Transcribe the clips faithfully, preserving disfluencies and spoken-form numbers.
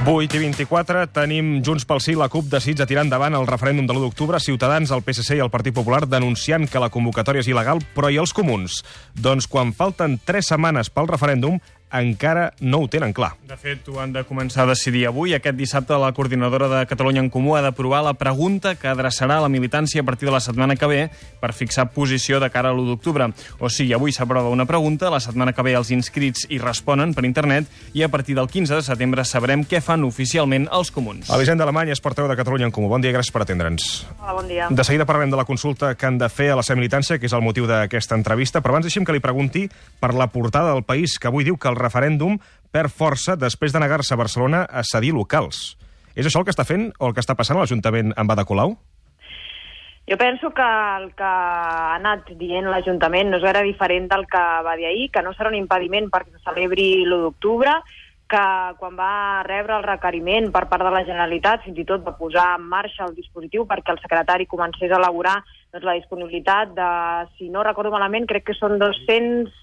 vuit i vint-i-quatre tenim Junts pel Sí, la CUP decidits a tirar endavant el referèndum de l'u d'octubre, Ciutadans, el P S C i el Partit Popular denunciant que la convocatòria és il·legal, però i els comuns? Doncs quan falten tres setmanes pel referèndum, encara no ho tenen clar. De fet, ho han de començar a decidir avui. Aquest dissabte la coordinadora de Catalunya en Comú ha d'aprovar la pregunta que adreçarà a la militància a partir de la setmana que ve per fixar posició de cara a l'u d'octubre. O sigui, avui s'aprova una pregunta, la setmana que ve els inscrits hi responen per internet i a partir del quinze de setembre sabrem què fan oficialment els comuns. Elisenda Alemany és portaveu de Catalunya en Comú. Bon dia, gràcies per atendre'ns. Hola, bon dia. De seguida parlarem de la consulta que han de fer a la seva militància, que és el motiu d'aquesta entrevista, però abans deixem que li pregunti per la portada del País, que avui diu que el referèndum perd força després de negar-se a Barcelona a cedir locals. És això el que està fent o el que està passant a l'Ajuntament amb Ada Colau? Jo penso que el que ha anat dient l'Ajuntament no és gaire diferent del que va dir ahir, que no serà un impediment perquè se celebri l'u d'octubre, que quan va rebre el requeriment per part de la Generalitat fins i tot va posar en marxa el dispositiu perquè el secretari comencés a elaborar doncs, la disponibilitat de, si no recordo malament, crec que són dos-cents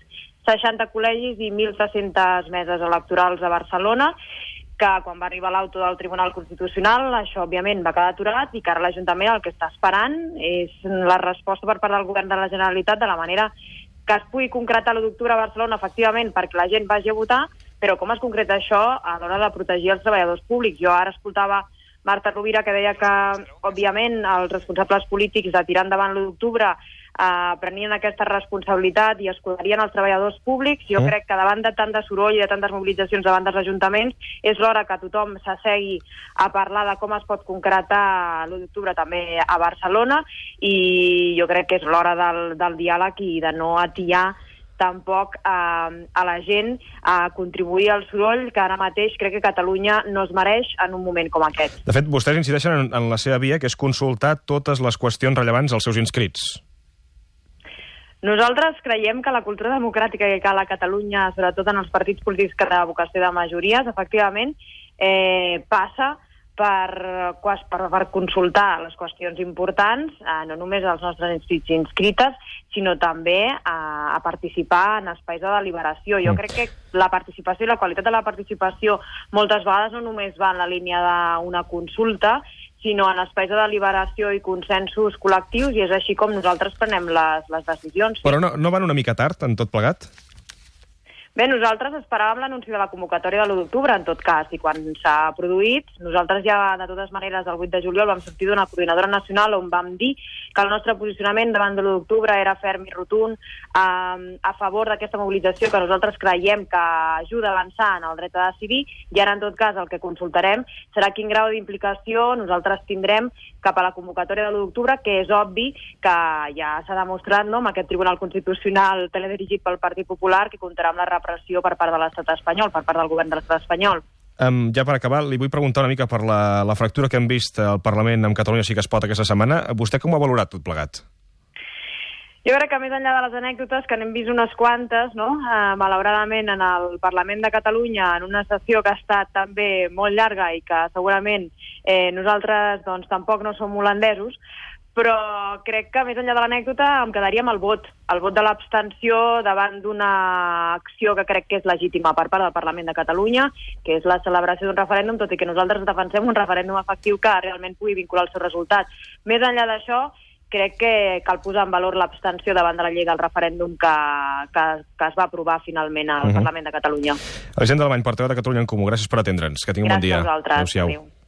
seixanta col·legis i mil tres-centes meses electorals a Barcelona, que quan va arribar l'auto del Tribunal Constitucional això òbviament va quedar aturat i que ara l'Ajuntament el que està esperant és la resposta per part del Govern de la Generalitat de la manera que es pugui concretar l'u d'octubre a Barcelona efectivament perquè la gent vagi a votar, però com es concreta això a l'hora de protegir els treballadors públics. Jo ara escoltava Marta Rovira que deia que òbviament els responsables polítics de tirar endavant l'u d'octubre Uh, prenien aquesta responsabilitat i escudarien els treballadors públics. Jo mm. crec que davant de tant de soroll i de tantes mobilitzacions davant dels ajuntaments és l'hora que tothom s'assegui a parlar de com es pot concretar l'u d'octubre també a Barcelona i jo crec que és l'hora del, del diàleg i de no atiar tampoc eh, a la gent a contribuir al soroll que ara mateix crec que Catalunya no es mereix en un moment com aquest. De fet, vostès incideixen en, en la seva via, que és consultar totes les qüestions rellevants als seus inscrits. Nosaltres creiem que la cultura democràtica que cal a Catalunya, sobretot en els partits polítics que tenen vocació de majories, efectivament, eh, passa per, per, per consultar les qüestions importants, eh, no només als nostres inscrits i inscrites, sinó també a, a participar en espais de deliberació. Jo crec que la participació i la qualitat de la participació moltes vegades no només va en la línia d'una consulta, sinó en espais de deliberació i consensos col·lectius, i és així com nosaltres prenem les, les decisions. Però no, no van una mica tard en tot plegat? Bé, nosaltres esperàvem l'anunci de la convocatòria de l'u d'octubre, en tot cas, i quan s'ha produït, nosaltres ja, de totes maneres, el vuit de juliol vam sortir d'una coordinadora nacional on vam dir que el nostre posicionament davant de l'u d'octubre era ferm i rotund eh, a favor d'aquesta mobilització que nosaltres creiem que ajuda a avançar en el dret a decidir, i ara, en tot cas, el que consultarem serà quin grau d'implicació nosaltres tindrem cap a la convocatòria de l'u d'octubre, que és obvi que ja s'ha demostrat, no?, amb aquest Tribunal Constitucional teledirigit pel Partit Popular, que comptarà amb la repressió per part de l'estat espanyol, per part del govern de l'estat espanyol. Um, ja per acabar, li vull preguntar una mica per la, la fractura que hem vist al Parlament amb Catalunya Sí que es pot aquesta setmana. Vostè com ho ha valorat tot plegat? Jo crec que més enllà de les anècdotes, que n'hem vist unes quantes, no? eh, malauradament en el Parlament de Catalunya, en una sessió que ha estat també molt llarga i que segurament eh, nosaltres doncs, tampoc no som holandesos, però crec que més enllà de l'anècdota em quedaria amb el vot, el vot de l'abstenció davant d'una acció que crec que és legítima per part del Parlament de Catalunya, que és la celebració d'un referèndum, tot i que nosaltres defensem un referèndum efectiu que realment pugui vincular el seu resultat. Més enllà d'això, crec que cal posar en valor l'abstenció davant de la llei del referèndum que, que, que es va aprovar finalment al uh-huh. Parlament de Catalunya. Elisenda Alemany, portaveu de Catalunya en Comú, gràcies per atendre'ns. Que tingui un bon dia. Gràcies a vosaltres. Adéu-siau.